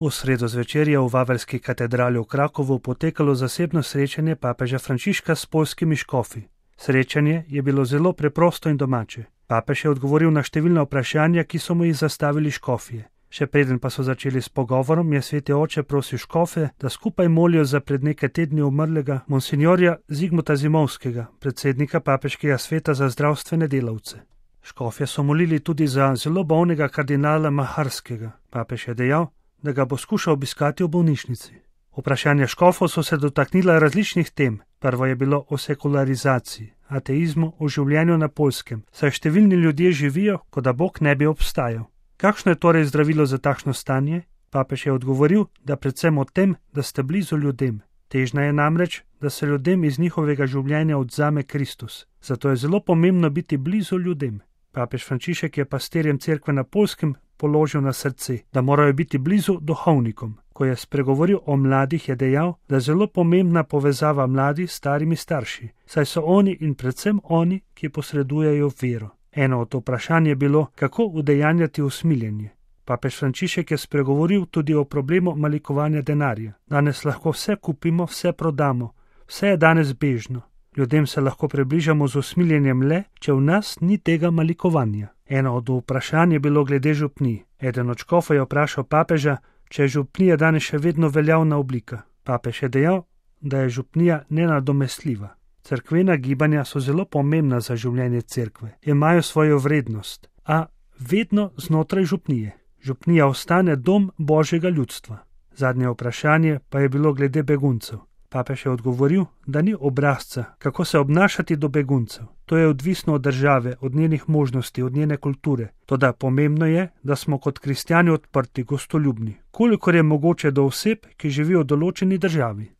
V sredo zvečer je v Vaveljski katedrali v Krakovu potekalo zasebno srečanje papeža Frančiška s poljskimi škofi. Srečanje je bilo zelo preprosto in domače. Papež je odgovoril na številna vprašanja, ki so mu jih zastavili škofje. Še preden pa so začeli s pogovorom, je sveti oče prosil škofe, da skupaj molijo za pred nekaj tedni umrlega monsinjorja Zigmuta Zimovskega, predsednika papeškega sveta za zdravstvene delavce. Škofje so molili tudi za zelo bolnega kardinala Maharskega. Papež je dejal, da ga bo skušal obiskati v bolnišnici. Vprašanja škofov so se dotaknila različnih tem. Prvo je bilo o sekularizaciji, ateizmu, o življenju na Poljskem, saj številni ljudje živijo, kot da Bog ne bi obstajal. Kakšno je torej zdravilo za takšno stanje? Papež je odgovoril, da predvsem o tem, da ste blizu ljudem. Težnja je namreč, da se ljudem iz njihovega življenja odzame Kristus. Zato je zelo pomembno biti blizu ljudem. Papež Frančišek je pastirjem cerkve na Poljskem položil na srce, da morajo biti blizu duhovnikom. Ko je spregovoril o mladih, je dejal, da je zelo pomembna povezava mladih s starimi starši, saj so oni in predvsem oni, ki posredujejo vero. Eno od vprašanj je bilo, kako udejanjati usmiljenje. Papež Frančišek je spregovoril tudi o problemu malikovanja denarja. Danes lahko vse kupimo, vse prodamo, vse je danes bežno. Ljudem se lahko približamo z usmiljenjem le, če v nas ni tega malikovanja. Eno od vprašanj je bilo glede župnij. Eden od škofov je vprašal papeža, če je župnija danes še vedno veljavna oblika. Papež je dejal, da je župnija nenadomestljiva. Cerkvena gibanja so zelo pomembna za življenje cerkve, imajo svojo vrednost, a vedno znotraj župnije. Župnija ostane dom Božjega ljudstva. Zadnje vprašanje pa je bilo glede beguncev. Papež je odgovoril, da ni obrazca, kako se obnašati do beguncev. To je odvisno od države, od njenih možnosti, od njene kulture. Toda pomembno je, da smo kot kristjani odprti, gostoljubni, kolikor je mogoče do oseb, ki živijo v določeni državi.